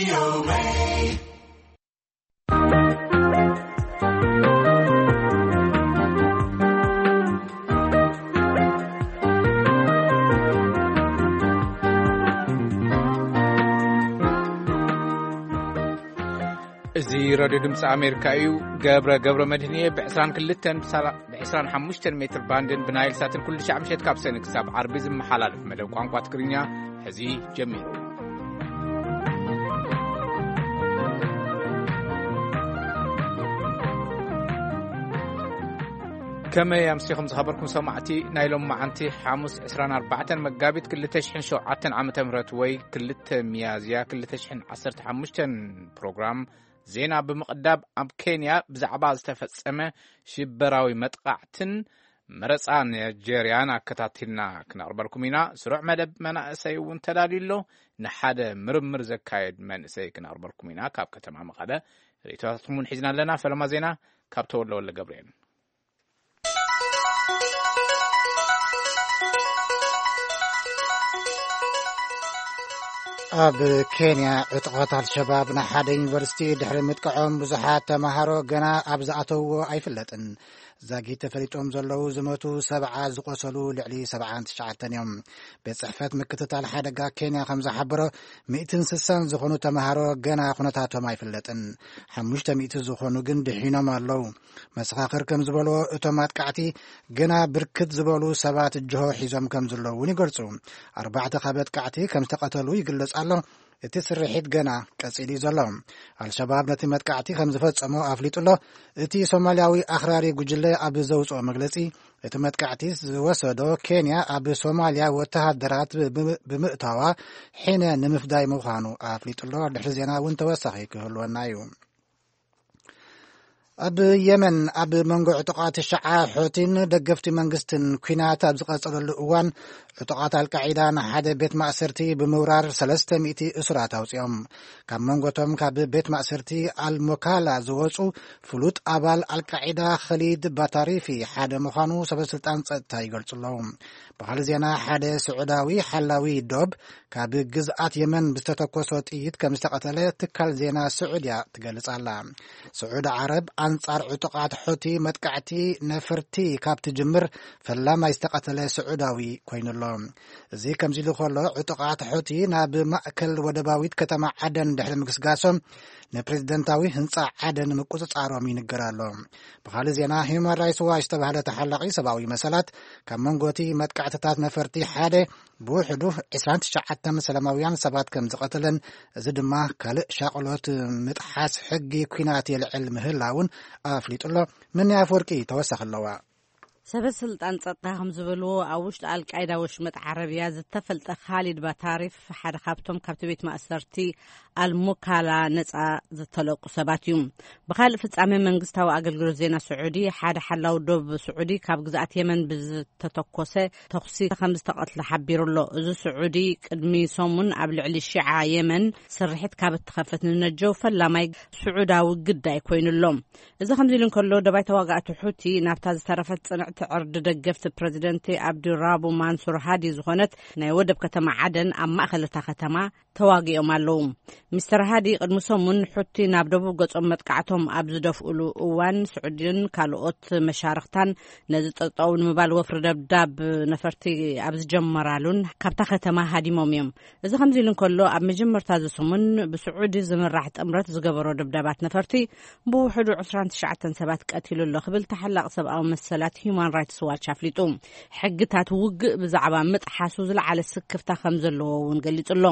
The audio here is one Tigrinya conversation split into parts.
እዚ ሬድዮ ድምፂ ኣሜሪካ እዩ። ገብረ፣ ገብረ መድህን እየ። ብ22፣ ብ25 ሜትር ባንድን ብናይል ሳትን ኩሉ ሻዕ ምሸት ካብ ሰኒ ክሳብ ዓርቢ ዝመሓላለፍ መደብ ቋንቋ ትግርኛ ሕዚ ጀሚሩ። ከመይ ኣምሲኹም ዝኸበርኩም ሰማዕቲ? ናይ ሎም መዓንቲ ሓሙስ ዕስራን ኣርባዕተን መጋቢት ክልተ ሽሕን ሸውዓተን ዓመተ ምህረት ወይ ክልተ ሚያዝያ ክልተ ሽሕን ዓሰርተ ሓሙሽተን ፕሮግራም ዜና ብምቕዳብ፣ ኣብ ኬንያ ብዛዕባ ዝተፈጸመ ሽበራዊ መጥቓዕትን መረጻ ናይጀርያን ኣከታቲልና ክነቕርበልኩም ኢና። ስሩዕ መደብ መናእሰይ እውን ተዳልዩ ኣሎ። ንሓደ ምርምር ዘካየድ መንእሰይ ክነቕርበልኩም ኢና። ካብ ከተማ መቐለ ርእይቶታትኩም እውን ሒዝና ኣለና። ፈለማ ዜና ካብ ተወለ ወልደ ገብርኤል። ኣብ ኬንያ፣ ዕጡቓት ኣልሸባብ ንሓደ ዩኒቨርሲቲ ድሕሪ ምጥቃዖም፣ ብዙሓት ተማሃሮ ገና ኣብ ዝኣተውዎ ኣይፍለጥን። ዛጊት ተፈሊጦም ዘለዉ ዝሞቱ ሰብዓ፣ ዝቖሰሉ ልዕሊ ሰብዓን ትሽዓተን እዮም። ቤት ጽሕፈት ምክትታል ሓደጋ ኬንያ ከም ዝሓበሮ፣ ሚእትን ስሳን ዝኾኑ ተማሃሮ ገና ኩነታቶም ኣይፍለጥን። ሓሙሽተ ሚእቲ ዝኾኑ ግን ድሒኖም ኣለዉ። መሰኻኽር ከም ዝበልዎ፣ እቶም ኣጥቃዕቲ ገና ብርክት ዝበሉ ሰባት ጅሆ ሒዞም ከም ዘለዉ እውን ይገልጹ። ኣርባዕተ ካብ ኣጥቃዕቲ ከም ዝተቐተሉ ይግለጽ ኣሎ። እቲ ስርሒት ገና ቀጺሉ እዩ ዘሎ። ኣልሸባብ ነቲ መጥቃዕቲ ከም ዝፈጸሞ ኣፍሊጡ ኣሎ። እቲ ሶማልያዊ ኣኽራሪ ጉጅለ ኣብ ዘውጽኦ መግለጺ፣ እቲ መጥቃዕቲ ዝወሰዶ ኬንያ ኣብ ሶማልያ ወተሃደራት ብ-፣ ብምእታዋ ሒነ ንምፍዳይ ምዃኑ ኣፍሊጡ ኣሎ። ድሕሪ ዜና እውን ተወሳኺ ክህልወና እዩ። ኣብ የመን፣ ኣብ መንጎ ዕጡቓት ሸዓ ሖቲን ደገፍቲ መንግስትን ኲናት ኣብ ዝቐጸለሉ እዋን፣ ዕጡቓት ኣልቃዒዳ ንሓደ ቤት ማእሰርቲ ብምውራር ሰለስተ ሚእቲ እሱራት ኣውጺኦም። ካብ መንጎቶም ካብ ቤት ማእሰርቲ ኣልሞካላ ዝወጹ ፍሉጥ ኣባል ኣልቃዒዳ ኸሊድ ባታሪፊ ሓደ ምዃኑ ሰበስልጣን ጸጥታ ይገልጹ ኣለዉ። ብኻልእ ዜና፣ ሓደ ስዑዳዊ ሓላዊ ዶብ ካብ ግዝኣት የመን ብዝተተኮሶ ጥይት ከም ዝተቐተለ ትካል ዜና ስዑድያ ትገልጽ ኣላ። ስዑድ ዓረብ ኣንጻር ዕጡቓት ሑቲ መጥቃዕቲ ነፈርቲ ካብ ትጅምር፣ ፈላማይ ዝተቐተለ ስዑዳዊ ኮይኑ ኣሎ። እዚ ከምዚ ኢሉ ከሎ፣ ዕጡቓት ሑቲ ናብ ማእከል ወደባዊት ከተማ ዓደን ድሕሪ ምግስጋሶም፣ ንፕሬዝደንታዊ ህንጻ ዓደን ምቁጽጻሮም ይንገር ኣሎ። ብኻልእ ዜና፣ ሂዩማን ራይትስ ዋች ዝተባህለ ተሓላቒ ሰብኣዊ መሰላት፣ ካብ መንጎ እቲ መጥቃዕትታት ነፈርቲ ሓደ ብውሕዱ ዕስራን ትሽዓተን ሰላማውያን ሰባት ከም ዝቐተለን፣ እዚ ድማ ካልእ ሻቕሎት ምጥሓስ ሕጊ ኲናት የልዕል ምህላውን ኣፍሊጡ ኣሎ። ምኒ ኣፍወርቂ ተወሳኺ ኣለዋ። ሰበ ስልጣን ጸጥታ ከም ዝበልዎ፣ ኣብ ውሽጢ ኣልቃይዳ ወሽመጥ ዓረብያ ዝተፈልጠ ካሊድ ባታሪፍ ሓደ ካብቶም ካብቲ ቤት ማእሰርቲ ኣልሙካላ ነጻ ዝተለቁ ሰባት እዩ። ብኻልእ ፍጻመ፣ መንግስታዊ ኣገልግሎት ዜና ስዑዲ፣ ሓደ ሓላው ዶብ ስዑዲ ካብ ግዝኣት የመን ብዝተተኮሰ ተኹሲ ከም ዝተቐትለ ሓቢሩ ኣሎ። እዚ ስዑዲ ቅድሚ ሰሙን ኣብ ልዕሊ ሺዓ የመን ስርሒት ካብ እትኸፍት ንነጀው ፈላማይ ስዑዳዊ ግዳይ ኮይኑ ኣሎ። እዚ ከምዚ ኢሉ እንከሎ፣ ደባይ ተዋጋእቲ ሑቲ ናብታ ዝተረፈት ጽንዕቲ ዕርዲ ደገፍቲ ፕረዚደንት ኣብዱራቡ ማንሱር ሃዲ ዝኾነት ናይ ወደብ ከተማ ዓደን ኣብ ማእከል እታ ከተማ ተዋጊኦም ኣለዉ። ሚስተር ሃዲ ቅድሚ ሰሙን ሑቲ ናብ ደቡብ ገጾም መጥቃዕቶም ኣብ ዝደፍኡሉ እዋን፣ ስዑድን ካልኦት መሻርኽታን ነዚ ጠጠው ንምባል ወፍሪ ደብዳብ ነፈርቲ ኣብ ዝጀመራሉን ካብታ ከተማ ሃዲሞም እዮም። እዚ ከምዚ ኢሉ እንከሎ፣ ኣብ መጀመርታ እዚ ሰሙን ብስዑዲ ዝምራሕ ጥምረት ዝገበሮ ደብዳባት ነፈርቲ ብውሕዱ ዕስራን ትሽዓተን ሰባት ቀቲሉ ኣሎ ክብል ተሓላቒ ሰብኣዊ መሰላት ሂዩማን ራይትስ ዋች ኣፍሊጡ። ሕግታት ውግእ ብዛዕባ ምጥሓሱ ዝለዓለ ስክፍታ ከም ዘለዎ እውን ገሊጹ ኣሎ።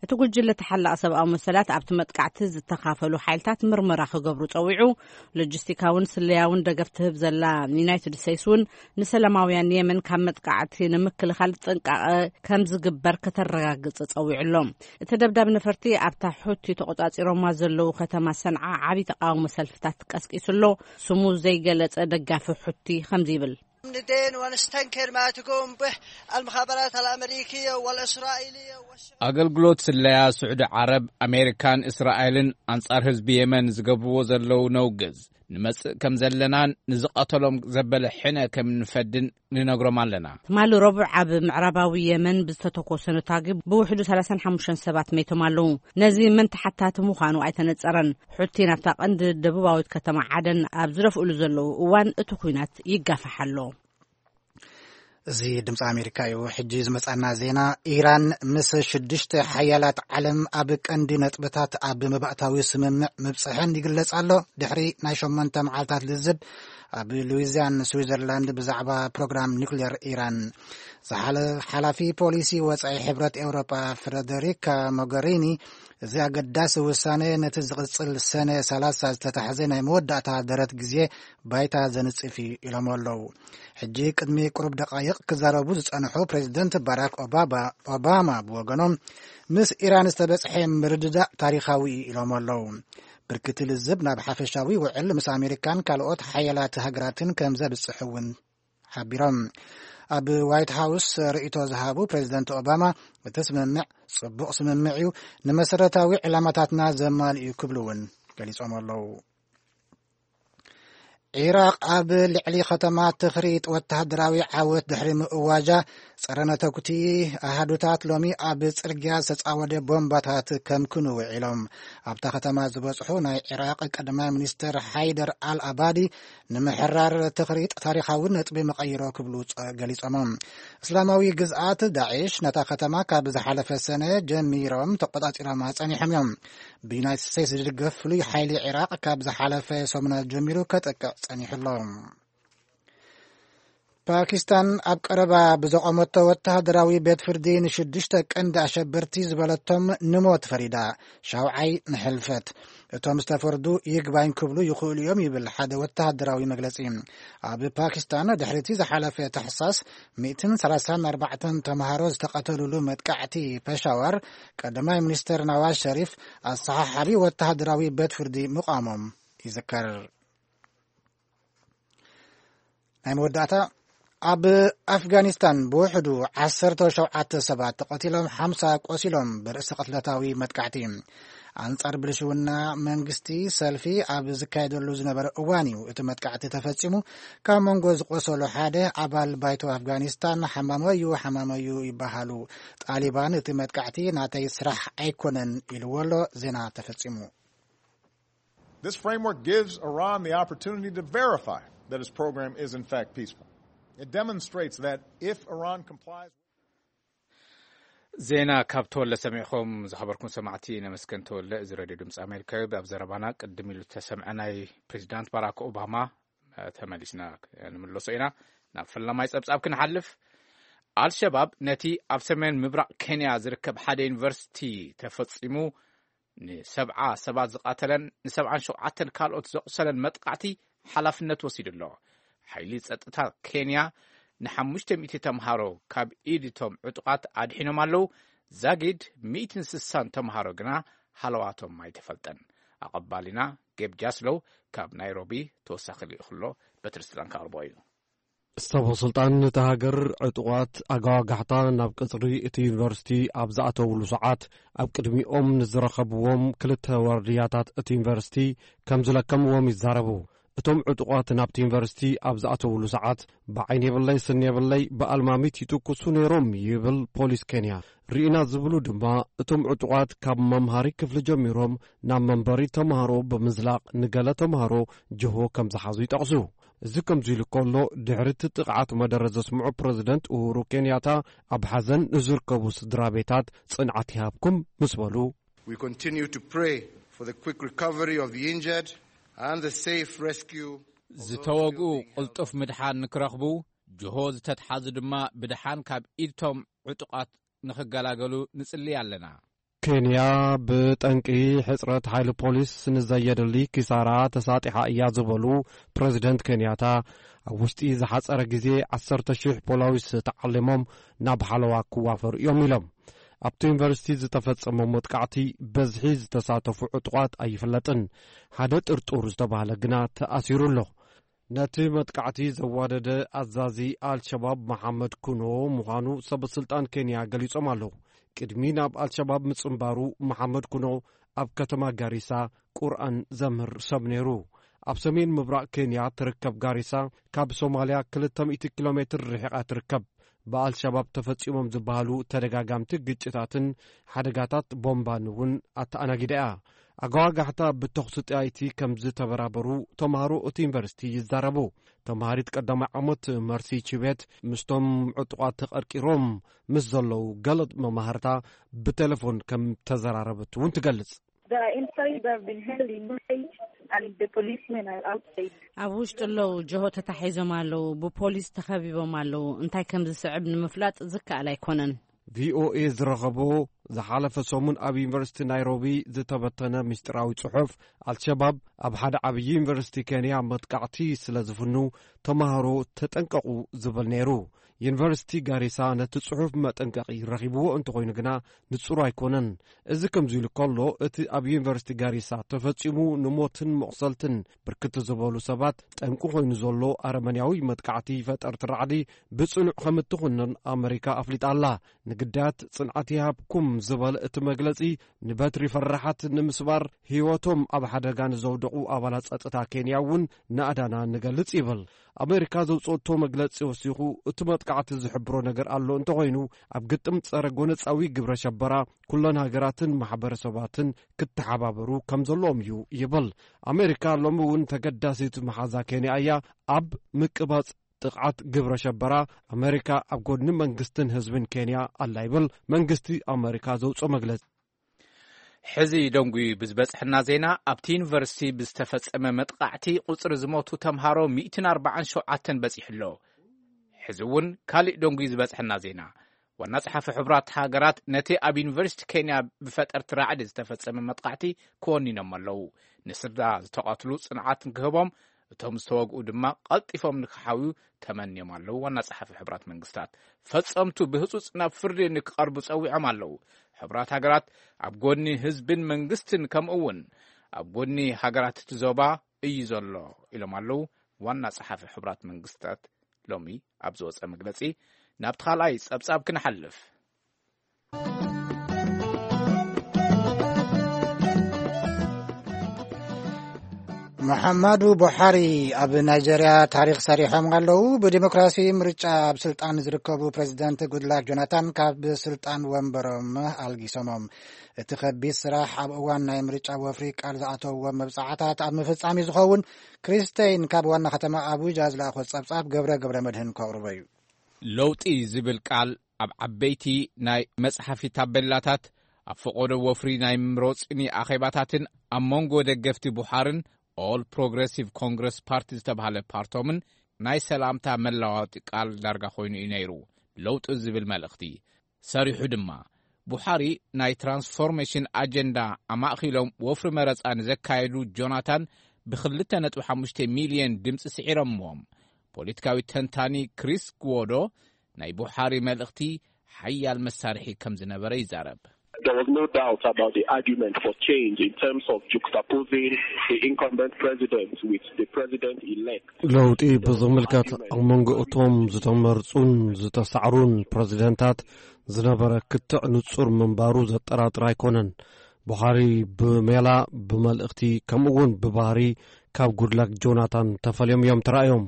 እቲ ጉጅለ ተሓላቒ ሰብኣዊ መሰላት ኣብቲ መጥቃዕቲ ዝተኻፈሉ ሓይልታት ምርመራ ክገብሩ ጸዊዑ። ሎጂስቲካውን ስለያውን ደገፍ ትህብ ዘላ ዩናይትድ ስቴትስ እውን ንሰላማውያን የመን ካብ መጥቃዕቲ ንምክልኻል ጥንቃቐ ከም ዝግበር ከተረጋግጽ ጸዊዑ ኣሎ። እቲ ደብዳብ ነፈርቲ ኣብታ ሑቲ ተቖጻጺሮማ ዘለዉ ከተማ ሰንዓ ዓቢ ተቓውሞ ሰልፍታት ቀስቂሱ ኣሎ። ስሙ ዘይገለጸ ደጋፊ ሑቲ ከምዚ ይብል። ندين ونستنكر ما تقوم به المخابرات الأمريكية والإسرائيلية والش- ኣገልግሎት ስለያ ስዑዲ ዓረብ፣ ኣሜሪካን እስራኤልን ኣንጻር ህዝቢ የመን ዝገብርዎ ዘለዉ ነውግዝ። ንመጽእ ከም ዘለናን ንዝቐተሎም ዘበለ ሕነ ከም ንፈድን ንነግሮም ኣለና። ትማሊ ረቡዕ ኣብ ምዕራባዊ የመን ብዝተተኮሰ ነታጊ ብውሕዱ ሰላሳን ሓሙሽተን ሰባት መይቶም ኣለዉ። ነዚ መን ተሓታቲ ምዃኑ ኣይተነጸረን። ሑቲ ናብታ ቀንዲ ደቡባዊት ከተማ ዓደን ኣብ ዝደፍእሉ ዘለዉ እዋን እቲ ኲናት ይጋፋሕ ኣሎ። እዚ ድምፂ ኣሜሪካ እዩ። ሕጂ ዝመጻና ዜና፣ ኢራን ምስ ሽዱሽተ ሓያላት ዓለም ኣብ ቀንዲ ነጥብታት ኣብ መባእታዊ ስምምዕ ምብጽሐን ይግለጽ ኣሎ፣ ድሕሪ ናይ ሸሞንተ መዓልታት ልዝብ ኣብ ሉዊዚያን ስዊዘርላንድ ብዛዕባ ፕሮግራም ኒውክሌር ኢራን። ዝሓለ ሓላፊ ፖሊሲ ወጻኢ ሕብረት ኤውሮጳ ፍረደሪካ ሞገሪኒ፣ እዚ ኣገዳሲ ውሳነ ነቲ ዝቕጽል ሰነ ሰላሳ ዝተታሕዘ ናይ መወዳእታ ደረት ግዜ ባይታ ዘንጽፍ እዩ ኢሎም ኣለዉ። ሕጂ ቅድሚ ቅሩብ ደቃይቕ ክዛረቡ ዝጸንሑ ፕሬዚደንት ባራክ ኦባባ- ኦባማ ብወገኖም፣ ምስ ኢራን ዝተበጽሐ ምርድዳእ ታሪኻዊ እዩ ኢሎም ኣለዉ። ብርክቲ ልዝብ ናብ ሓፈሻዊ ውዕል ምስ ኣሜሪካን ካልኦት ሓያላት ሃገራትን ከም ዘብጽሕ እውን ሓቢሮም። ኣብ ዋይት ሃውስ ርእይቶ ዝሃቡ ፕሬዚደንት ኦባማ፣ እቲ ስምምዕ ጽቡቕ ስምምዕ እዩ፣ ንመሰረታዊ ዕላማታትና ዘማልእ እዩ ክብሉ እውን ገሊጾም ኣለዉ። ዒራቕ ኣብ ልዕሊ ከተማ ትኽሪጥ ወተሃደራዊ ዓወት ድሕሪ ምእዋጃ፣ ጸረ ነተኩቲ ኣሃዱታት ሎሚ ኣብ ጽርግያ ዝተጻወደ ቦምባታት ከምክኑ ውዒሎም። ኣብታ ከተማ ዝበጽሑ ናይ ዒራቕ ቀዳማይ ሚኒስትር ሓይደር ኣል ኣባዲ፣ ንምሕራር ትኽሪጥ ታሪኻዊ ነጥቢ መቐይሮ ክብሉ ጸ- ገሊጾም። እስላማዊ ግዝኣት ዳዕሽ ነታ ከተማ ካብ ዝሓለፈ ሰነ ጀሚሮም ተቆጻጺሮማ ጸኒሖም እዮም። ብዩናይትድ ስቴትስ ዝድገፍ ፍሉይ ሓይሊ ዒራቕ ካብ ዝሓለፈ ሰሙናት ጀሚሩ ከጥቅዕ ጸኒሑ ኣሎ። ፓኪስታን ኣብ ቀረባ ብዘቖመቶ ወተሃደራዊ ቤት ፍርዲ ንሽዱሽተ ቀንዲ ኣሸበርቲ ዝበለቶም ንሞት ፈሪዳ፣ ሻውዓይ ንሕልፈት። እቶም ዝተፈርዱ ይግባኝ ክብሉ ይኽእሉ እዮም ይብል ሓደ ወተሃደራዊ መግለጺ። ኣብ ፓኪስታን ድሕሪቲ ዝሓለፈ ታሕሳስ ሚእትን ሰላሳን ኣርባዕተን ተምሃሮ ዝተቐተሉሉ መጥቃዕቲ ፔሻዋር፣ ቀዳማይ ሚኒስተር ናዋዝ ሸሪፍ ኣሰሓሓቢ ወተሃደራዊ ቤት ፍርዲ ምቋሞም ይዝከር። ናይ መወዳእታ፣ ኣብ ኣፍጋኒስታን ብውሕዱ ዓሰርተ ሸውዓተ ሰባት ተቐቲሎም፣ ሓምሳ ቆሲሎም ብርእሲ ቅትለታዊ መጥቃዕቲ። ኣንጻር ብልሽውና መንግስቲ ሰልፊ ኣብ ዝካየደሉ ዝነበረ እዋን እዩ እቲ መጥቃዕቲ ተፈጺሙ። ካብ መንጎ ዝቆሰሉ ሓደ ኣባል ባይቶ ኣፍጋኒስታን፣ ሓማመዩ ሓማመዩ ይበሃሉ። ጣሊባን እቲ መጥቃዕቲ ናተይ ስራሕ ኣይኮነን ኢልዎ ኣሎ። ዜና ተፈጺሙ። This framework gives Iran the opportunity to verify that its program is in fact peaceful. It demonstrates that if Iran complies. ዜና ካብ ተወለ ሰሚዕኹም ዝኸበርኩም ሰማዕቲ፣ ነመስገን ተወለ። እዚ ሬድዮ ድምፂ ኣሜሪካ እዩ። ኣብ ዘረባና ቅድም ኢሉ ዝተሰምዐ ናይ ፕሬዚዳንት ባራክ ኦባማ፣ እ፣ ተመሊስና ንምለሶ ኢና። ናብ ፈላማይ ጸብጻብ ክንሓልፍ፣ ኣልሸባብ ነቲ ኣብ ሰሜን ምብራቕ ኬንያ ዝርከብ ሓደ ዩኒቨርሲቲ ተፈጺሙ ንሰብዓ ሰባት ዝቐተለን ንሰብዓን ሸውዓተን ካልኦት ዘቑሰለን መጥቃዕቲ ሓላፍነት ወሲዱ ኣሎ። ሓይሊ ጸጥታ ኬንያ ንሓሙሽተ ሚእቲ ተምሃሮ ካብ ኢድ እቶም ዕጡቓት ኣድሒኖም ኣለዉ። ዛጊድ ሚእትን ስሳን ተምሃሮ ግና ሃለዋቶም ኣይተፈልጠን። ኣቐባሊና ጌብ ጃስሎው ካብ ናይሮቢ ተወሳኺ ልኢኹ ኣሎ። በትሪ ስልጣን ከቕርቦ እዩ። ሰበ ስልጣን ነቲ ሃገር ዕጡቓት ኣጋዋጋሕታ ናብ ቅጽሪ እቲ ዩኒቨርሲቲ ኣብ ዝኣተውሉ ሰዓት፣ ኣብ ቅድሚኦም ንዝረኸብዎም ክልተ ዋርድያታት እቲ ዩኒቨርሲቲ ከም ዝለከምዎም ይዛረቡ። እቶም ዕጡቓት ናብቲ ዩኒቨርሲቲ ኣብ ዝኣተውሉ ሰዓት፣ ብዓይኒ የብለይ ስኒ የብለይ፣ ብኣልማሚት ይትኩሱ ነይሮም ይብል ፖሊስ ኬንያ። ርኢና ዝብሉ ድማ፣ እቶም ዕጡቓት ካብ መምሃሪ ክፍሊ ጀሚሮም ናብ መንበሪ ተምሃሮ ብምዝላቕ፣ ንገለ ተምሃሮ ጅሆ ከም ዝሓዙ ይጠቕሱ። እዚ ከምዚ ኢሉ ከሎ፣ ድሕሪ እቲ ጥቕዓት መደረ ዘስምዑ ፕረዚደንት ኡሁሩ ኬንያታ፣ ኣብ ሓዘን ንዝርከቡ ስድራ ቤታት ጽንዓት ይሃብኩም ምስ በሉ፣ We continue to pray for the quick recovery of the injured and the safe rescue of those still ዝተወግኡ being held. ቅልጡፍ ምድሓን ንክረኽቡ፣ ጅሆ ዝተትሓዙ ድማ ብድሓን ካብ ኢድቶም ዕጡቓት ንኽገላገሉ ንጽሊ ኣለና። ኬንያ ብጠንቂ ሕጽረት ሓይሊ ፖሊስ ንዘየድሊ ኪሳራ ተሳጢሓ እያ ዝበሉ ፕረዚደንት ኬንያታ፣ ኣብ ውሽጢ ዝሓጸረ ግዜ ዓሰርተ ሺሕ ፖላዊስ ተዓሊሞም ናብ ሓለዋ ክዋፈሩ እዮም ኢሎም። ኣብቲ ዩኒቨርሲቲ ዝተፈጸመ መጥቃዕቲ በዝሒ ዝተሳተፉ ዕጡቓት ኣይፍለጥን። ሓደ ጥርጡር ዝተባህለ ግና ተኣሲሩ ኣሎ። ነቲ መጥቃዕቲ ዘዋደደ ኣዛዚ ኣልሸባብ መሓመድ ኩኖ ምዃኑ ሰበ ስልጣን ኬንያ ገሊጾም ኣለዉ። ቅድሚ ናብ ኣልሸባብ ምጽንባሩ፣ መሓመድ ኩኖ ኣብ ከተማ ጋሪሳ ቁርኣን ዘምህር ሰብ ነይሩ። ኣብ ሰሜን ምብራቕ ኬንያ ትርከብ ጋሪሳ ካብ ሶማልያ ክልተ ሚእቲ ኪሎ ሜትር ርሒቓ ትርከብ። ብኣልሸባብ ተፈጺሞም ዝበሃሉ ተደጋጋምቲ ግጭታትን ሓደጋታት ቦምባን እውን ኣተኣናጊዳ እያ። ኣጓጋሕታ ብተኹሲ ጥያይቲ ከም ዝተበራበሩ ተምሃሮ እቲ ዩኒቨርሲቲ ይዛረቡ። ተምሃሪት ቀዳማይ ዓመት መርሲ ቺቤት ምስቶም ዕጡቓት ተቐርቂሮም ምስ ዘለዉ ገለ መማህርታ ብቴሌፎን ከም ተዘራረበት እውን ትገልጽ። The inside have been held in cage and the policemen are outside. ኣብ ውሽጢ ኣለዉ፣ ጀሆ ተታሒዞም ኣለዉ፣ ብፖሊስ ተኸቢቦም ኣለዉ። እንታይ ከም ዝስዕብ ንምፍላጥ ዝከኣል ኣይኮነን። ቪኦኤ ዝረኸቦ ዝሓለፈ ሰሙን ኣብ ዩኒቨርሲቲ ናይሮቢ ዝተበተነ ምስጢራዊ ጽሑፍ፣ ኣልሸባብ ኣብ ሓደ ዓብዪ ዩኒቨርሲቲ ኬንያ መጥቃዕቲ ስለ ዝፍኑ ተምሃሮ ተጠንቀቑ ዝብል ነይሩ። ዩኒቨርሲቲ ጋሪሳ ነቲ ጽሑፍ መጠንቀቒ ረኺብዎ እንተኾይኑ ግና ንጹር ኣይኮነን። እዚ ከምዚ ኢሉ ከሎ፣ እቲ ኣብ ዩኒቨርሲቲ ጋሪሳ ተፈጺሙ ንሞትን መቑሰልትን ብርክት ዝበሉ ሰባት ጠንቂ ኮይኑ ዘሎ ኣረመንያዊ መጥቃዕቲ ፈጠርቲ ራዕዲ ብጽኑዕ ከም እትኹንን ኣመሪካ ኣፍሊጣ ኣላ። ንግዳያት ጽንዓት ይሃብኩም ዝበለ እቲ መግለጺ፣ ንበትሪ ፈራሓት ንምስባር ህይወቶም ኣብ ሓደጋ ንዘውደቑ ኣባላት ጸጥታ ኬንያ እውን ናእዳና ንገልጽ ይብል። ኣመሪካ ዘውጽኦቶ መግለጺ ወሲኹ፣ እቲ መጥቃዕቲ ዝሕብሮ ነገር ኣሎ እንተኾይኑ፣ ኣብ ግጥም ጸረ ጎነጻዊ ግብረ ሸበራ ኩለን ሃገራትን ማሕበረሰባትን ክተሓባበሩ ከም ዘለዎም እዩ ይብል። ኣመሪካ ሎሚ እውን ተገዳሲት መሓዛ ኬንያ እያ። ኣብ ምቅባጽ ጥቕዓት ግብረ ሸበራ ኣመሪካ ኣብ ጎድኒ መንግስትን ህዝብን ኬንያ ኣላ ይብል መንግስቲ ኣመሪካ ዘውፅኦ መግለፂ። ሕዚ ደንጉዩ ብዝበፅሐና ዜና፣ ኣብቲ ዩኒቨርሲቲ ብዝተፈፀመ መጥቃዕቲ ቁፅሪ ዝሞቱ ተምሃሮ ሚእትን ኣርባዓን ሸውዓተን በፂሑ ኣሎ። ሕዚ እውን ካሊእ ደንጉዩ ዝበፅሐና ዜና፣ ዋና ጸሓፊ ሕቡራት ሃገራት ነቲ ኣብ ዩኒቨርሲቲ ኬንያ ብፈጠርቲ ራዕዲ ዝተፈጸመ መጥቃዕቲ ክወኒኖም ኣለዉ። ንስድራ ዝተቐትሉ ጽንዓት ንክህቦም፣ እቶም ዝተወግኡ ድማ ቀልጢፎም ንክሓውዩ ተመንዮም ኣለዉ። ዋና ጸሓፊ ሕቡራት መንግስታት፣ ፈጸምቱ ብህጹጽ ናብ ፍርዲ ንክቐርቡ ጸዊዖም ኣለዉ። ሕቡራት ሃገራት ኣብ ጎኒ ህዝብን መንግስትን፣ ከምኡ እውን ኣብ ጎኒ ሃገራት እቲ ዞባ እዩ ዘሎ ኢሎም ኣለዉ ዋና ጸሓፊ ሕቡራት መንግስታት። ሎሚ ኣብ ዝወጸ መግለጺ፣ ናብቲ ካልኣይ ጸብጻብ ክንሓልፍ። መሓማዱ ቡሓሪ ኣብ ናይጀርያ ታሪኽ ሰሪሖም ኣለዉ። ብዲሞክራሲ ምርጫ ኣብ ስልጣን ዝርከቡ ፕሬዚደንት ጉድላክ ጆናታን ካብ ስልጣን ወንበሮም ኣልጊሶሞም። እቲ ከቢድ ስራሕ ኣብ እዋን ናይ ምርጫ ወፍሪ ቃል ዝኣተውዎ መብጻዕታት ኣብ ምፍጻም እዩ ዝኸውን። ክሪስቴይን ካብ ዋና ከተማ ኣቡጃ ዝለኣኾ ጸብጻብ ገብረ ገብረ መድህን ከቕርቦ እዩ። ለውጢ ዝብል ቃል ኣብ ዓበይቲ ናይ መጽሓፊ ታቤላታት፣ ኣብ ፈቐዶ ወፍሪ ናይ ምሮጽኒ ኣኼባታትን ኣብ መንጎ ደገፍቲ ቡሓርን ኦል ፕሮግረሲቭ ኮንግረስ ፓርቲ ዝተባህለ ፓርቶምን ናይ ሰላምታ መለዋወጢ ቃል ዳርጋ ኮይኑ እዩ ነይሩ። ለውጢ ዝብል መልእኽቲ ሰሪሑ ድማ። ቡሓሪ ናይ ትራንስፎርሜሽን ኣጀንዳ ኣማእኺሎም ወፍሪ መረጻ ንዘካየዱ ጆናታን ብ ክልተ ነጥቢ ሓሙሽተ ሚልዮን ድምጺ ስዒሮምዎም። ፖለቲካዊ ተንታኒ ክሪስ ግዎዶ ናይ ቡሓሪ መልእኽቲ ሓያል መሳርሒ ከም ዝነበረ ይዛረብ። There was no doubt about the argument for change in terms of juxtaposing the incumbent president with the president-elect. ለውጢ ብዝምልከት ኣብ መንጎ እቶም ዝተመርጹን ዝተሳዕሩን ፕረዚደንታት ዝነበረ ክትዕ ንጹር ምንባሩ ዘጠራጥር ኣይኮነን። ቡሓሪ ብሜላ፣ ብመልእኽቲ፣ ከምኡ'ውን ብባህሪ ካብ ጉድላክ ጆናታን ተፈልዮም እዮም ተራእዮም።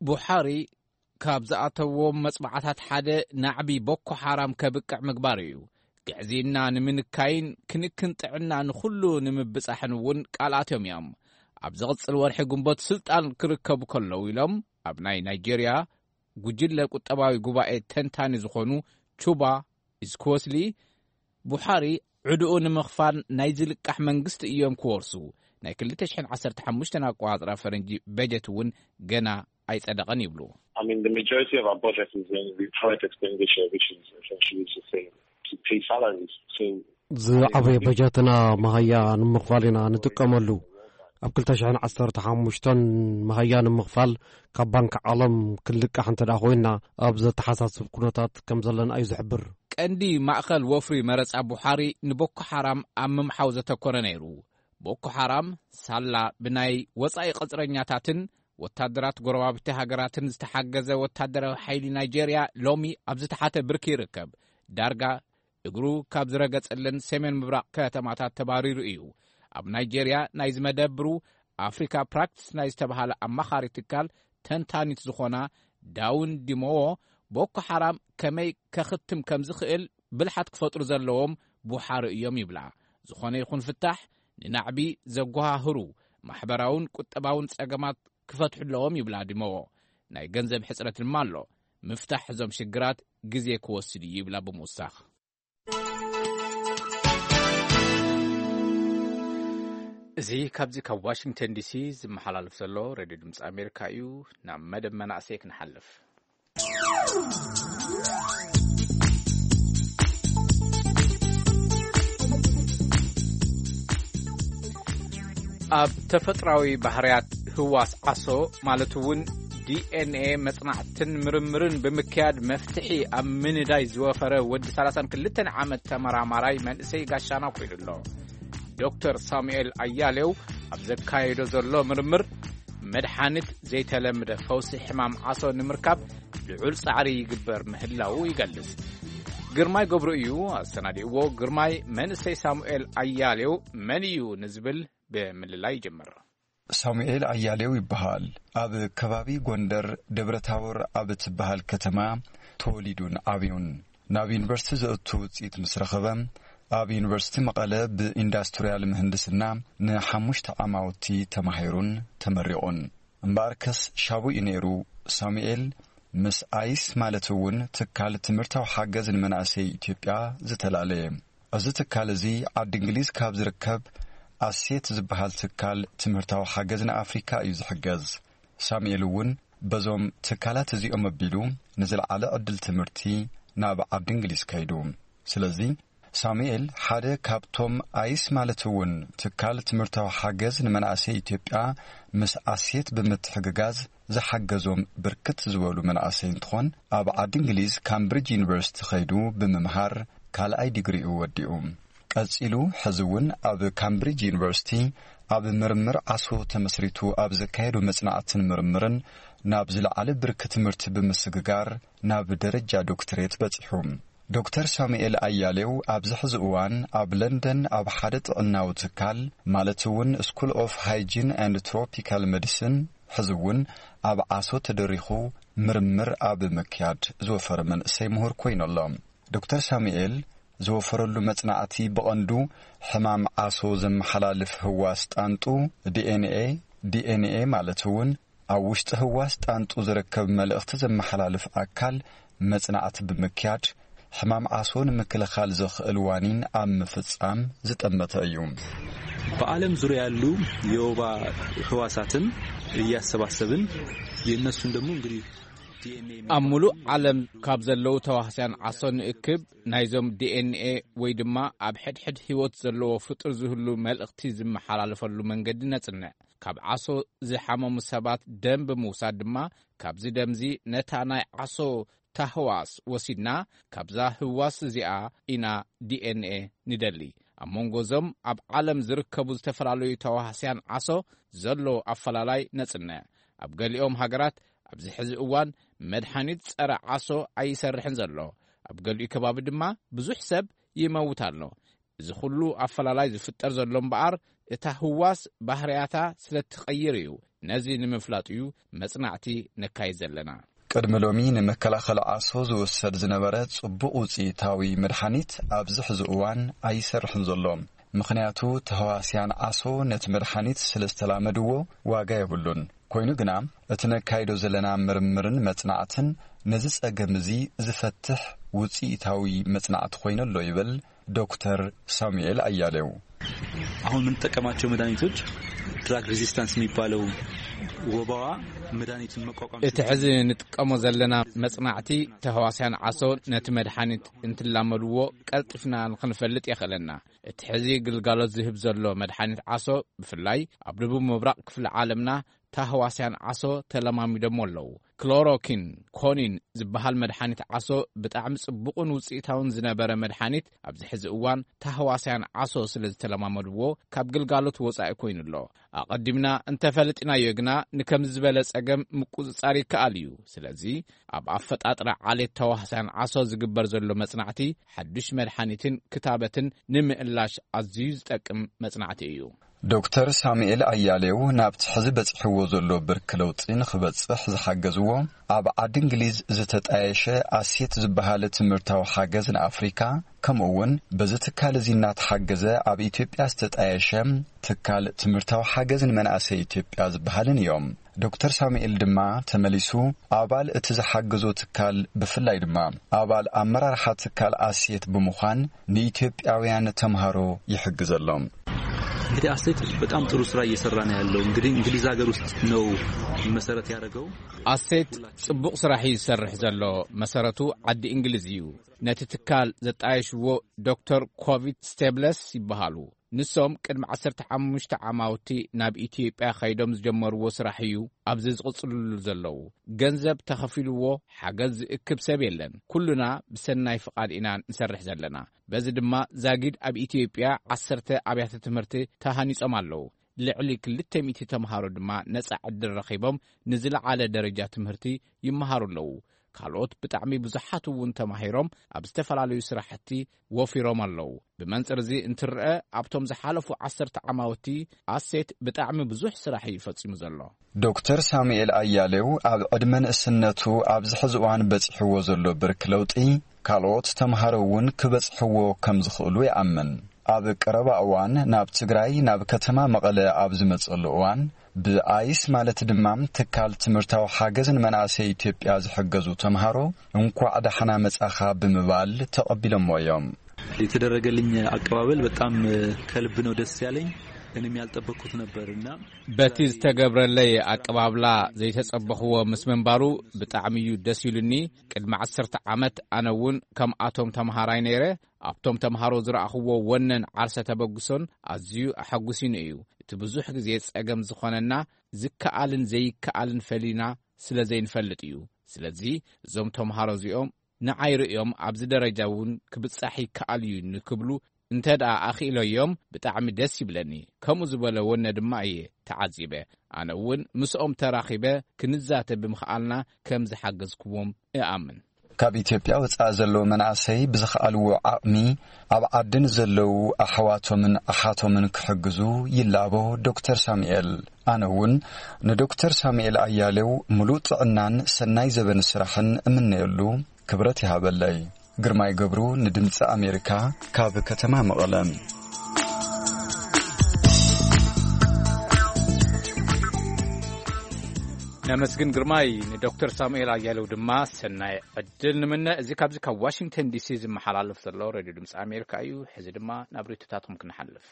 ቡሓሪ ካብ ዝኣተዎም መጽባዕታት ሓደ ናዕቢ ቦኮ ሓራም ከብቅዕ ምግባር እዩ። ግዕዝይና ንምንካይን ክንክን ጥዕና ንኹሉ ንምብጻሕን እውን ቃል ኣትዮም እዮም። ኣብ ዝቕጽል ወርሒ ግንቦት ስልጣን ክርከቡ ከለዉ ኢሎም ኣብ ናይ ናይጄርያ ጉጅለ ቁጠባዊ ጉባኤ ተንታኒ ዝኾኑ ቹባ ኢስኩወስሊ፣ ቡሓሪ ዕድኡ ንምኽፋል ናይ ዝልቃሕ መንግስቲ እዮም ክወርሱ። ናይ ክልተ ሽሕን ዓሰርተ ሓሙሽተን ኣቆጻጽራ ፈረንጂ በጀት እውን ገና ኣይጸደቐን ይብሉ። I mean, the majority of our budget is in the private expenditure, which is essentially to say, to pay salaries. So ዝዓበየ በጀትና መሃያ ንምኽፋል ኢና ንጥቀመሉ። ኣብ ክልተ ሽሕን ዓሰርተ ሓሙሽተን መሃያ ንምኽፋል ካብ ባንክ ዓለም ክንልቃሕ እንተ ደኣ ኮይንና፣ ኣብ ዘተሓሳስብ ኩነታት ከም ዘለና እዩ ዝሕብር። ቀንዲ ማእከል ወፍሪ መረጻ ቡሓሪ ንቦኮ ሓራም ኣብ ምምሓው ዘተኮረ ነይሩ። ቦኮ ሓራም ሳላ ብናይ ወጻኢ ቅጽረኛታትን ወታደራት ጎረባብቲ ሃገራትን ዝተሓገዘ ወታደራዊ ሓይሊ ናይጄርያ ሎሚ ኣብ ዝተሓተ ብርኪ ይርከብ። ዳርጋ እግሩ ካብ ዝረገጸለን ሰሜን ምብራቕ ከተማታት ተባሪሩ እዩ። ኣብ ናይጄርያ ናይ ዝመደብሩ ኣፍሪካ ፕራክቲስ ናይ ዝተባሃለ ኣማኻሪ ትካል ተንታኒት ዝኾና ዳውን ዲሞዎ፣ ቦኮ ሓራም ከመይ ከኽትም ከም ዝኽእል ብልሓት ክፈጥሩ ዘለዎም ቡሓሩ እዮም ይብላ። ዝኾነ ይኹን ፍታሕ ንናዕቢ ዘጓሃህሩ ማሕበራውን ቁጠባውን ጸገማት ክፈትሑ ኣለዎም ይብላ ዲሞዎ። ናይ ገንዘብ ሕጽረት ድማ ኣሎ። ምፍታሕ እዞም ሽግራት ግዜ ክወስድ እዩ ይብላ ብምውሳኽ። እዚ ካብዚ ካብ ዋሽንግተን ዲሲ ዝመሓላለፍ ዘሎ ሬድዮ ድምፂ ኣሜሪካ እዩ። ናብ መደብ መናእሰይ ክንሓልፍ። ኣብ ተፈጥራዊ ባህርያት ህዋስ ዓሶ፣ ማለት እውን ዲኤንኤ፣ መጽናዕትን ምርምርን ብምክያድ መፍትሒ ኣብ ምንዳይ ዝወፈረ ወዲ ሰላሳን ክልተን ዓመት ተመራማራይ መንእሰይ ጋሻና ኮይኑ ኣሎ። ዶክተር ሳሙኤል ኣያሌው ኣብ ዘካየዶ ዘሎ ምርምር፣ መድሓኒት ዘይተለምደ ፈውሲ ሕማም ዓሶ ንምርካብ ልዑል ጻዕሪ ይግበር ምህላዉ ይገልጽ። ግርማይ ገብሩ እዩ ኣሰናዲእዎ። ግርማይ፣ መንእሰይ ሳሙኤል ኣያሌው መን እዩ ንዝብል ብምልላይ ይጅምር። ሳሙኤል ኣያሌው ይበሃል። ኣብ ከባቢ ጎንደር ደብረታቦር ኣብ እትበሃል ከተማ ተወሊዱን ዓብዩን። ናብ ዩኒቨርሲቲ ዘእቱ ውፅኢት ምስ ረኸበ፣ ኣብ ዩኒቨርሲቲ መቐለ ብኢንዳስትሪያል ምህንድስና ንሓሙሽተ ዓማውቲ ተማሂሩን ተመሪቑን። እምበኣርከስ ሻቡ እዩ ነይሩ። ሳሙኤል ምስ ኣይስ፣ ማለት እውን ትካል ትምህርታዊ ሓገዝ ንመናእሰይ ኢትዮጵያ፣ ዝተላለየ። እዚ ትካል እዚ ዓዲ እንግሊዝ ካብ ዝርከብ ኣሴት ዝበሃል ትካል ትምህርታዊ ሓገዝ ንኣፍሪካ እዩ ዝሕገዝ። ሳሙኤል እውን በዞም ትካላት እዚኦም ኣቢሉ ንዝለዓለ ዕድል ትምህርቲ ናብ ዓዲ እንግሊዝ ከይዱ። ስለዚ ሳሙኤል ሓደ ካብቶም ኣይስ፣ ማለት እውን ትካል ትምህርታዊ ሓገዝ ንመናእሰይ ኢትዮጵያ ምስ ኣሴት ብምትሕግጋዝ ዝሓገዞም ብርክት ዝበሉ መናእሰይ እንትኾን፣ ኣብ ዓዲ እንግሊዝ ካምብሪጅ ዩኒቨርሲቲ ከይዱ ብምምሃር ካልኣይ ዲግሪኡ ወዲኡ። ቀጺሉ ሕዚ እውን ኣብ ካምብሪጅ ዩኒቨርሲቲ ኣብ ምርምር ዓሶ ተመስሪቱ ኣብ ዘካየዶ መጽናዕትን ምርምርን ናብ ዝለዓለ ብርኪ ትምህርቲ ብምስግጋር ናብ ደረጃ ዶክትሬት በጺሑ። ዶክተር ሳሙኤል ኣያሌው ኣብዚ ሕዚ እዋን ኣብ ለንደን ኣብ ሓደ ጥዕናዊ ትካል፣ ማለት እውን ስኩል ኦፍ ሃይጂን ኤንድ ትሮፒካል ሜዲሲን፣ ሕዚ እውን ኣብ ዓሶ ተደሪኹ ምርምር ኣብ ምክያድ ዝወፈረ መንእሰይ ምሁር ኮይኑ ኣሎ። ዶክተር ሳሙኤል ዝወፈረሉ መጽናዕቲ ብቐንዱ ሕማም ዓሶ ዘመሓላልፍ ህዋስ ጣንጡ፣ ዲኤንኤ፣ ዲኤንኤ፣ ማለት እውን ኣብ ውሽጢ ህዋስ ጣንጡ ዝርከብ መልእኽቲ ዘመሓላልፍ ኣካል መጽናዕቲ ብምክያድ፣ ሕማም ዓሶ ንምክልኻል ዘኽእል ዋኒን ኣብ ምፍጻም ዝጠመተ እዩ። በዓለም ዙሪያ ያሉ የወባ ህዋሳትን እያሰባሰብን፣ የእነሱን ደግሞ እንግዲህ ዲኤንኤ ኣብ ሙሉእ ዓለም ካብ ዘለዉ ተዋህስያን ዓሶ ንእክብ፣ ናይዞም ዲኤንኤ ወይ ድማ ኣብ ሕድሕድ ህይወት ዘለዎ ፍጡር ዝህሉ መልእኽቲ ዝመሓላለፈሉ መንገዲ ነጽንዕ። ካብ ዓሶ ዝሓመሙ ሰባት ደም ብምውሳድ ድማ፣ ካብዚ ደምዚ ነታ ናይ ዓሶ ታህዋስ ወሲድና፣ ካብዛ ህዋስ እዚኣ ኢና ዲኤንኤ ንደሊ። ኣብ መንጎ እዞም ኣብ ዓለም ዝርከቡ ዝተፈላለዩ ተዋህስያን ዓሶ ዘሎ ኣፈላላይ ነጽንዕ። ኣብ ገሊኦም ሃገራት ኣብዚ ሕዚ እዋን መድሓኒት ጸረ ዓሶ ኣይሰርሕን ዘሎ። ኣብ ገሊኡ ከባቢ ድማ ብዙሕ ሰብ ይመውት ኣሎ። እዚ ኩሉ ኣፈላላይ ዝፍጠር ዘሎ እምበኣር፣ እታ ህዋስ ባህርያታ ስለ እትቐይር እዩ። ነዚ ንምፍላጥ እዩ መጽናዕቲ ነካይድ ዘለና። ቅድሚ ሎሚ ንመከላኸሊ ዓሶ ዝውሰድ ዝነበረ ጽቡቕ ውጽኢታዊ መድሓኒት ኣብዚ ሕዚ እዋን ኣይሰርሕን ዘሎ። ምኽንያቱ ተህዋስያን ዓሶ ነቲ መድሓኒት ስለ ዝተላመድዎ ዋጋ የብሉን። ኮይኑ ግና እቲ ነካይዶ ዘለና ምርምርን መጽናዕትን ነዚ ጸገም እዚ ዝፈትሕ ውጽኢታዊ መጽናዕቲ ኮይኑ ኣሎ ይብል ዶክተር ሳሙኤል ኣያሌው። አሁን የምንጠቀማቸው መድኃኒቶች ድራግ ሬዚስታንስ የሚባለው ወባዋ መድኃኒቱን መቋቋም እቲ ሕዚ ንጥቀሞ ዘለና መጽናዕቲ ተህዋስያን ዓሶ ነቲ መድሓኒት እንትላመድዎ ቀልጢፍና ንኽንፈልጥ የኽእለና። እቲ ሕዚ ግልጋሎት ዝህብ ዘሎ መድሓኒት ዓሶ ብፍላይ ኣብ ደቡብ ምብራቕ ክፍሊ ዓለምና ታህዋስያን ዓሶ ተለማሚዶሞ ኣለዉ። ክሎሮኪን ኮኒን ዝበሃል መድሓኒት ዓሶ ብጣዕሚ ጽቡቕን ውጽኢታውን ዝነበረ መድሓኒት ኣብዚ ሕዚ እዋን ታህዋስያን ዓሶ ስለ ዝተለማመድዎ ካብ ግልጋሎት ወጻኢ ኮይኑ ኣሎ። ኣቐዲምና እንተፈለጢናዮ ግና ንከምዚ ዝበለ ጸገም ምቁጽጻር ይከኣል እዩ። ስለዚ ኣብ ኣፈጣጥራ ዓሌት ተዋህስያን ዓሶ ዝግበር ዘሎ መጽናዕቲ ሓዱሽ መድሓኒትን ክታበትን ንምእላሽ ኣዝዩ ዝጠቅም መጽናዕቲ እዩ። ዶክተር ሳሙኤል ኣያሌው ናብቲ ሕዚ በጺሕዎ ዘሎ ብርኪ ለውጢ ንኽበጽሕ ዝሓገዝዎ ኣብ ዓዲ እንግሊዝ ዝተጣየሸ ኣሴት ዝበሃል ትምህርታዊ ሓገዝ ንኣፍሪካ፣ ከምኡ እውን በዚ ትካል እዚ እናተሓገዘ ኣብ ኢትዮጵያ ዝተጣየሸ ትካል ትምህርታዊ ሓገዝ ንመናእሰይ ኢትዮጵያ ዝበሃልን እዮም። ዶክተር ሳሙኤል ድማ ተመሊሱ ኣባል እቲ ዝሓገዞ ትካል፣ ብፍላይ ድማ ኣባል ኣመራርሓ ትካል ኣሴት ብምዃን ንኢትዮጵያውያን ተምሃሮ ይሕግዘሎም። እንግዲህ አሴት በጣም ጥሩ ስራ እየሰራ ነው ያለው። እንግዲህ እንግሊዝ ሀገር ውስጥ ነው መሰረት ያደረገው። ኣሴት ጽቡቕ ስራሕ እዩ ዝሰርሕ ዘሎ። መሰረቱ ዓዲ እንግሊዝ እዩ። ነቲ ትካል ዘጣየሽዎ ዶክተር ኮቪት ስቴብለስ ይበሃሉ። ንሶም ቅድሚ ዓሰርተ ሓሙሽተ ዓማውቲ ናብ ኢትዮጵያ ከይዶም ዝጀመርዎ ስራሕ እዩ ኣብዚ ዝቕጽልሉ ዘለዉ። ገንዘብ ተኸፊልዎ ሓገዝ ዝእክብ ሰብ የለን። ኩሉና ብሰናይ ፍቓድ ኢና ንሰርሕ ዘለና። በዚ ድማ ዛጊድ ኣብ ኢትዮጵያ ዓሰርተ ኣብያተ ትምህርቲ ተሃኒጾም ኣለዉ። ልዕሊ ክልተ ሚእቲ ተምሃሮ ድማ ነጻ ዕድል ረኺቦም ንዝለዓለ ደረጃ ትምህርቲ ይመሃሩ ኣለዉ። ካልኦት ብጣዕሚ ብዙሓት እውን ተማሂሮም ኣብ ዝተፈላለዩ ስራሕቲ ወፊሮም ኣለዉ። ብመንጽር እዚ እንትርአ ኣብቶም ዝሓለፉ ዓሰርተ ዓማውቲ ኣሴት ብጣዕሚ ብዙሕ ስራሕ እዩ ፈጺሙ ዘሎ። ዶክተር ሳሙኤል ኣያሌው ኣብ ዕድመ ንእስነቱ ኣብዚ ሕዚ እዋን በጺሕዎ ዘሎ ብርኪ ለውጢ ካልኦት ተምሃሮ እውን ክበጽሕዎ ከም ዝኽእሉ ይኣምን። ኣብ ቀረባ እዋን ናብ ትግራይ ናብ ከተማ መቐለ ኣብ ዝመጸሉ እዋን ብኣይስ ማለት ድማ ትካል ትምህርታዊ ሓገዝ ንመናእሰይ ኢትዮጵያ ዝሕገዙ ተምሃሮ እንኳዕ ዳሕና መጻኻ ብምባል ተቐቢሎሞ እዮም። የተደረገልኝ አቀባበል በጣም ከልብ ነው ደስ ያለኝ። እኔም ያልጠበቅኩት ነበር እና በቲ ዝተገብረለይ ኣቀባብላ ዘይተጸበኽዎ ምስ ምንባሩ ብጣዕሚ እዩ ደስ ኢሉኒ። ቅድሚ ዓሰርተ ዓመት ኣነ እውን ከምኣቶም ተምሃራይ ነይረ። ኣብቶም ተምሃሮ ዝረኣኽዎ ወነን ዓርሰ ተበግሶን ኣዝዩ ኣሐጉሲኒ እዩ። እቲ ብዙሕ ግዜ ጸገም ዝኾነና ዝከኣልን ዘይከኣልን ፈሊና ስለ ዘይንፈልጥ እዩ። ስለዚ እዞም ተምሃሮ እዚኦም ንዓይ ርእዮም ኣብዚ ደረጃ እውን ክብጻሕ ይከኣል እዩ ንክብሉ እንተ ደኣ ኣኽኢለዮም ብጣዕሚ ደስ ይብለኒ። ከምኡ ዝበለ ወነ ድማ እየ ተዓዚበ። ኣነ እውን ምስኦም ተራኺበ ክንዛተ ብምኽኣልና ከም ዝሓገዝክዎም እኣምን። ካብ ኢትዮጵያ ወጻኢ ዘለዉ መናእሰይ ብዝኸኣልዎ ዓቕሚ ኣብ ዓዲ ንዘለዉ ኣሕዋቶምን ኣሓቶምን ክሕግዙ ይላቦ ዶክተር ሳሙኤል። ኣነ እውን ንዶክተር ሳሙኤል ኣያሌው ምሉእ ጥዕናን ሰናይ ዘበን ስራሕን እምነየሉ። ክብረት ይሃበለይ። ግርማይ ገብሩ ንድምፂ ኣሜሪካ ካብ ከተማ መቐለ። ነመስግን ግርማይ፣ ንዶክተር ሳሙኤል ኣያሌው ድማ ሰናይ ዕድል ንምነ። እዚ ካብዚ ካብ ዋሽንግተን ዲሲ ዝመሓላለፍ ዘሎ ሬድዮ ድምፂ ኣሜሪካ እዩ። ሕዚ ድማ ናብ ርእይቶታትኩም ክንሓልፍ።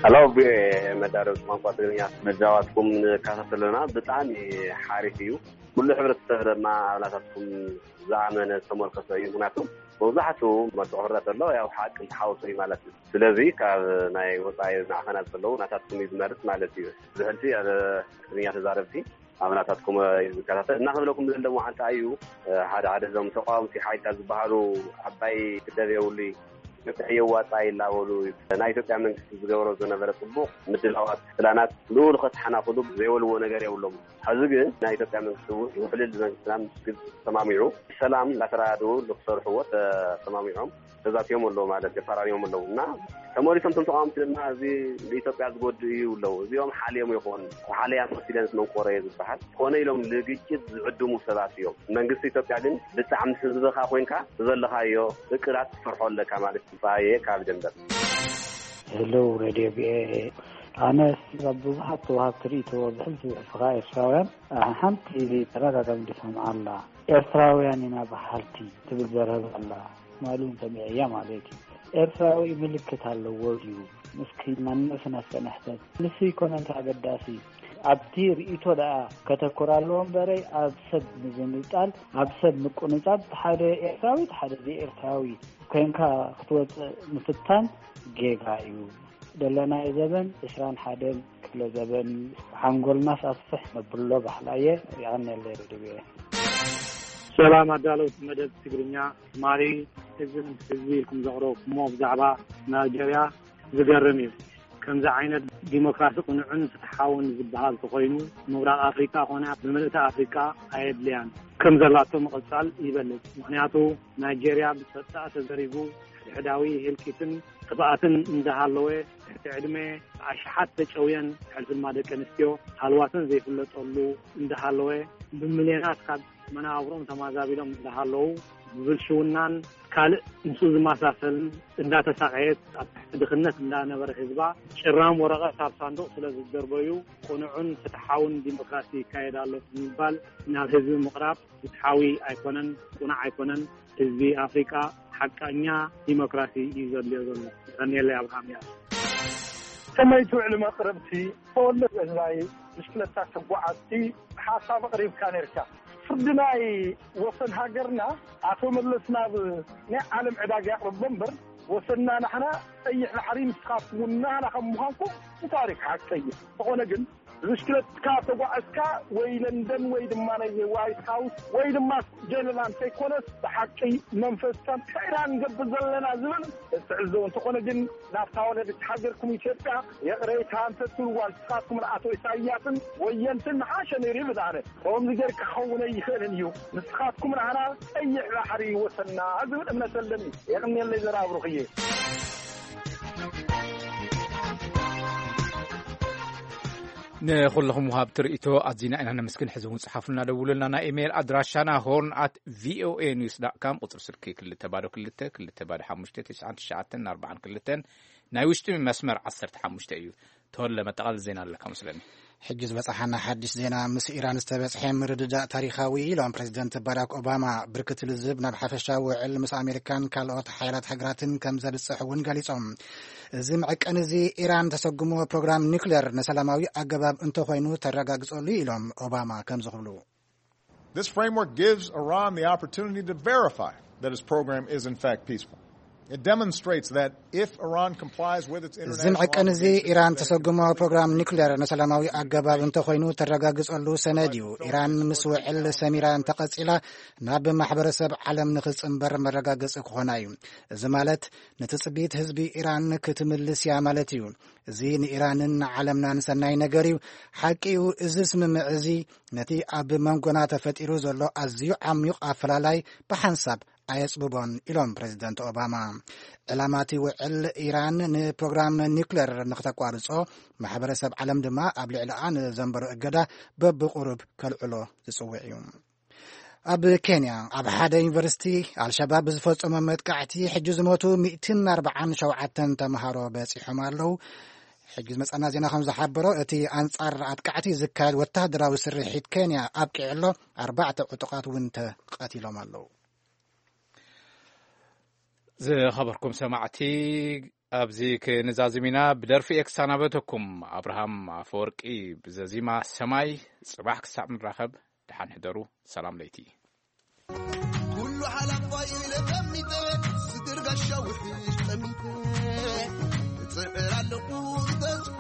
ሄሎ፣ ቪኦኤ መዳረብ ቋንቋ ትግርኛ መዛዋትኩም ንከታተል ኣለና። ብጣዕሚ ሓሪፍ እዩ። ኩሉ ሕብረተሰብ ድማ ኣብ ናታትኩም ዝኣመነ ዝተመርኮሰ እዩ። ምክንያቱ መብዛሕትኡ መርትዖ ክረአ ከሎ ያው ሓቂ ዝተሓወሶ እዩ ማለት እዩ። ስለዚ ካብ ናይ ወፃኢ ማዕኸናት ዘለዉ ናታትኩም እዩ ዝመርጽ ማለት እዩ። ብሕልፊ ኣብ ትግርኛ ተዛረብቲ ኣብ ናታትኩም እዩ ዝከታተል። እና ክብለኩም ዝደሊ ዋዓንታ እዩ፣ ሓደ ሓደ እዞም ተቃወምቲ ሓይልታት ዝበሃሉ ዓባይ ክደብ የብሉ እዩ፣ ኢትዮጵያ የዋጣ ይላበሉ እዩ። ናይ ኢትዮጵያ መንግስቲ ዝገብሮ ዝነበረ ጽቡቕ ምድላዋት፣ ፕላናት ንኡ ንኸተሓናኽሉ ዘይበልዎ ነገር የብሎም። ሕዚ ግን ናይ ኢትዮጵያ መንግስቲ እውን ውሕልል መንግስትና ምስ ግብፂ ተሰማሚዑ ሰላም እንዳተራድኡ ንክሰርሕዎ ተሰማሚዖም ተዛትዮም ኣለዉ ማለት ተፈራሪሞም ኣለዉ። እና ተመሊሶም እቶም ተቃወምቲ ድማ እዚ ንኢትዮጵያ ዝጎድእ እዩ ኣለዉ። እዚኦም ሓልዮም ይኾን ሓለያ መሲለን መንቆረ እየ ዝበሃል ኮነ ኢሎም ንግጭት ዝዕድሙ ሰባት እዮም። መንግስቲ ኢትዮጵያ ግን ብጣዕሚ ህዝብኻ ኮንካ ዘለኻዮ እቅዳት ትሰርሖ ኣለካ ማለት እዩ። ፃየ ካብ ደንበር። ሄሎ ሬድዮ ቪኦኤ፣ ኣነ ካብ ብዙሓት ተዋሃብቲ ርእይቶ ብሕልፊ ብሕልፍኻ ኤርትራውያን ሓንቲ ተደጋጋሚ ዝሰምዓ ኣላ። ኤርትራውያን ኢና በሃልቲ ትብል ዘረባ ኣላ። ማሉ ሰሚዐያ ማለት እዩ። ኤርትራዊ ምልክት ኣለዎ ድዩ? እስኪ ማንነትና እስከ ንሕተት። ንሱ ይኮነ እንታይ ኣገዳሲ? ኣብቲ ርእይቶ ደኣ ከተኩር ኣለዎ እምበረይ ኣብ ሰብ ምዝንጣል፣ ኣብ ሰብ ምቁንጻብ፣ ሓደ ኤርትራዊ ሓደ ዘይኤርትራዊ ኮንካ ክትወጽእ ምፍታን ጌጋ እዩ። ደለናዮ ዘበን ዕስራን ሓደን ክፍለ ዘበን እዩ። ሓንጎልናስ ኣስፍሕ ነብሎ ባሕላየ። የቐንየለይ ሬድዮ። ሰላም ኣዳለውቲ መደብ ትግርኛ ትማሊ ህዝቢ ህዝቢ ኢልኩም ዘቕረብኩሞ ብዛዕባ ናይጀርያ ዝገርም እዩ። ከምዚ ዓይነት ዲሞክራሲ ቅኑዕን ፍትሓውን ዝበሃል ተኾይኑ ምብራቕ ኣፍሪቃ ኮነ ብምልእቲ ኣፍሪቃ ኣየድልያን። ከም ዘላቶ ምቕጻል ይበልጽ። ምኽንያቱ ናይጄርያ ብጸጥታ ተዘሪጉ፣ ሕድሕዳዊ ህልቂትን ጥፍኣትን እንዳሃለወ፣ ትሕቲ ዕድመ ኣሽሓት ተጨውየን፣ ብሕልፊ ድማ ደቂ ኣንስትዮ ሃልዋተን ዘይፍለጠሉ እንዳሃለወ፣ ብሚልዮናት ካብ መነባብሮም ተማዛቢሎም እንዳሃለዉ፣ ብብልሽውናን ካልእ ምስኡ ዝመሳሰልን እንዳተሳቐየት ኣብ ትሕቲ ድኽነት እንዳነበረ ህዝባ፣ ጭራም ወረቐት ኣብ ሳንዱቕ ስለ ዝደርበዩ፣ ቅኑዕን ፍትሓውን ዲሞክራሲ ይካየድ ኣሎ ብምባል ናብ ህዝቢ ምቕራብ ፍትሓዊ ኣይኮነን፣ ቅኑዕ ኣይኮነን። ህዝቢ ኣፍሪቃ ሓቃኛ ዲሞክራሲ እዩ ዘድልዮ ዘሎ። የቐንየለይ ኣብርሃም። እያ። ከመይ ትውዕሊ መቕረብቲ? ተወለድ እላይ ብሽክለታ ተጓዓዝቲ ሓሳብ ኣቕሪብካ ነርካ። ፍርዲ ናይ ወሰን ሃገርና ኣቶ መለስ ናብ ናይ ዓለም ዕዳጋ የቕርቦ እምበር፣ ወሰንና ናሕና ቀይሕ ባሕሪ፣ ንስኻትኩም እውን ናህና ከም ምዃንኩም ብታሪክ ሓቂ እዩ። ዝኾነ ግን ብሽክለትካ ተጓዕዝካ ወይ ለንደን ወይ ድማ ናይ ዋይት ሃውስ ወይ ድማ ጀነራል ከይኮነስ ብሓቂ መንፈስካ እንታይ ኢና ንገብር ዘለና ዝብል ትዕዘቡ። እንተኾነ ግን ናብታ ወለድቲ ሃገርኩም ኢትዮጵያ ይቕሬታ እንተትብልዋ ንስኻትኩም ንኣቶ ኢሳያስን ወየንትን ንሓሸ ነይሩ ይብል ኣነ። ከምዚ ጌርካ ክኸውን ኣይኽእልን እዩ። ንስኻትኩም ንዓና ቀይሕ ባሕሪ ይወሰና ዝብል እምነት ኣለኒ። የቕንየለይ ዘራብሩኽዬ። ንኹልኹም ወሃብቲ ርእይቶ ኣዚና ኢና ነመስግን። ሕዚ እውን ጽሓፉልና፣ ደውሉልና። ናይ ኢሜይል ኣድራሻና ሆርን ኣት ቪኦኤ ኒውስ ዳት ካም፣ ቁጽሪ ስልኪ ክልተ ባዶ ክልተ ክልተ ባዶ ሓሙሽተ ትሽዓን ትሽዓተን ኣርባዓን ክልተን፣ ናይ ውሽጢ መስመር ዓሰርተ ሓሙሽተ እዩ። ተወለ መጠቓል ዜና ኣለካ መስለኒ። ሕጂ ዝበጽሓና ሓድሽ ዜና፣ ምስ ኢራን ዝተበጽሐ ምርድዳእ ታሪኻዊ ኢሎም ፕሬዚደንት ባራክ ኦባማ። ብርክት ልዝብ ናብ ሓፈሻዊ ውዕል ምስ ኣሜሪካን ካልኦት ሓያላት ሃገራትን ከም ዘብጽሕ እውን ገሊጾም። እዚ መዐቀኒ እዚ ኢራን ተሰጉሞ ፕሮግራም ኒውክሌር ንሰላማዊ ኣገባብ እንተኾይኑ ተረጋግጸሉ ኢሎም ኦባማ ከምዚ ክብሉ። This framework gives Iran the opportunity to verify that its program is in fact peaceful. It demonstrates that if Iran complies with its እዚ international መዐቀኒ እዚ obligations, ኢራን then it ተሰጉሞ can ፕሮግራም ኒውክሌር ንሰላማዊ ኣገባብ እንተኾይኑ ተረጋግጸሉ ሰነድ እዩ። ኢራን ምስ ውዕል ሰሚራ እንተቐጺላ ናብ ማሕበረሰብ ዓለም ንኽጽንበር መረጋገጺ ክኾና እዩ። እዚ ማለት ንትጽቢት ህዝቢ ኢራን ክትምልስ እያ ማለት እዩ። እዚ ንኢራንን ንዓለምናን ሰናይ ነገር እዩ። ሓቂ እዩ፣ እዚ ስምምዕ እዚ ነቲ ኣብ መንጎና ተፈጢሩ ዘሎ ኣዝዩ ዓሚቕ ኣፈላላይ ብሓንሳብ ኣየጽብቦን ኢሎም ፕሬዚደንት ኦባማ። ዕላማ እቲ ውዕል ኢራን ንፕሮግራም ኒውክሌር ንክተቋርጾ፣ ማሕበረሰብ ዓለም ድማ ኣብ ልዕሊኣ ንዘንበሮ እገዳ በብቁሩብ ከልዕሎ ዝጽውዕ እዩ። ኣብ ኬንያ ኣብ ሓደ ዩኒቨርሲቲ ኣልሸባብ ብዝፈጸሞ መጥቃዕቲ ሕጂ ዝሞቱ ሚእትን ኣርባዓን ሸውዓተን ተምሃሮ በጺሖም ኣለዉ። ሕጂ ዝመጸና ዜና ከም ዝሓበሮ፣ እቲ ኣንጻር ኣጥቃዕቲ ዝካየድ ወተሃደራዊ ስርሒት ኬንያ ኣብቂዑ ኣሎ። ኣርባዕተ ዕጡቓት እውን ተቐቲሎም ኣለዉ። ዝኸበርኩም ሰማዕቲ፣ ኣብዚ ክንዛዝም ኢና። ብደርፊ እየ ክሰናበተኩም። ኣብርሃም ኣፈወርቂ ብዘዚማ ሰማይ። ጽባሕ ክሳብ ንራኸብ፣ ደሓን ሕደሩ። ሰላም ለይቲ። ኩሉ ሓላፋይ ኢለ ጠሚተ፣ ስግር ጋሻ ውሕጅ ጠሚተ፣ እጽዕር ኣለኹ ብተስፋ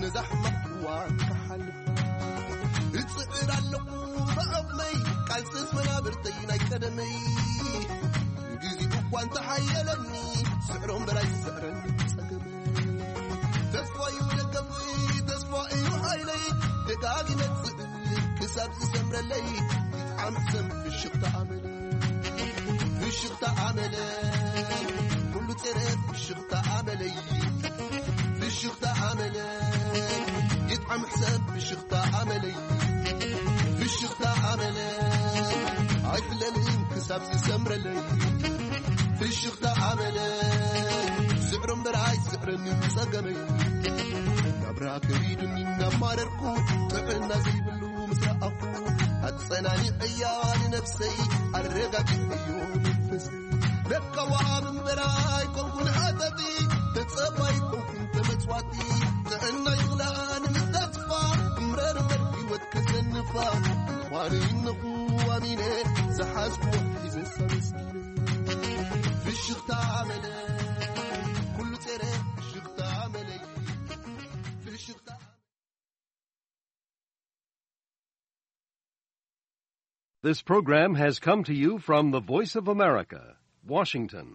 ነዛ ሕማቕ እዋን ክሓልፍ። እጽዕር ኣለኹ ብዓቕመይ፣ ቃልስስ መናብርተይ ናይ ቀደመይ። ግዜኡ እኳ እንተሓየለኒ፣ ስዕሮ እምበር ኣይስዕረን ጸገመይ። ተስፋ እዩ ደገፍይ፣ ተስፋ እዩ ሓይለይ፣ ደጋጊመ ክስእል ክሳብ ዝሰምረለይ። ይጥዓም ሕሰም ፍሽኽታ ኣመለይ፣ ፍሽኽታ ኣመለይ፣ ኩሉ ጸረ ፍሽኽታ ኣመለይ፣ ፍሽኽታ ኣመለይ፣ ይጥዓም ሕሰም ፍሽኽታ ኣመለይ፣ ፍሽኽታ ኣመለይ፣ ኣይፍለልን ክሳብ ዝሰምረለይ። ፍሽኽታ ኣመለይ፣ ስዕሮ እምበር ኣይስዕረኒ ጸገመይ። ናብራ ከቢዱኒ እናማረርኩ፣ ጥዕና ዘይብሉ ምስ ረኣኹ፣ ኣጸናኒዐያ ንነፍሰይ፣ ኣረጋጊዐዮ መንፈሰይ። ለካ ወሃብ እምበር ኣይኮንኩን ሃጠጢ፣ ተጸባይ ኣይኮንኩን ተመጽዋቲ። ጥዕና ይኽላኒ ምስ ተስፋ፣ እምረር እምበር ህይወት ከዘንፋ። ምዃኑ ይነኹ ኣሚነ፣ ዝሓዝኩዎ ሒዘ ኣመስጊነ። ፍሽኽታ ኣመለ፣ ኩሉ ጸረ ፍሽኽታ ኣመለይ። ፍሽኽታ This program has come to you from the Voice of America, Washington.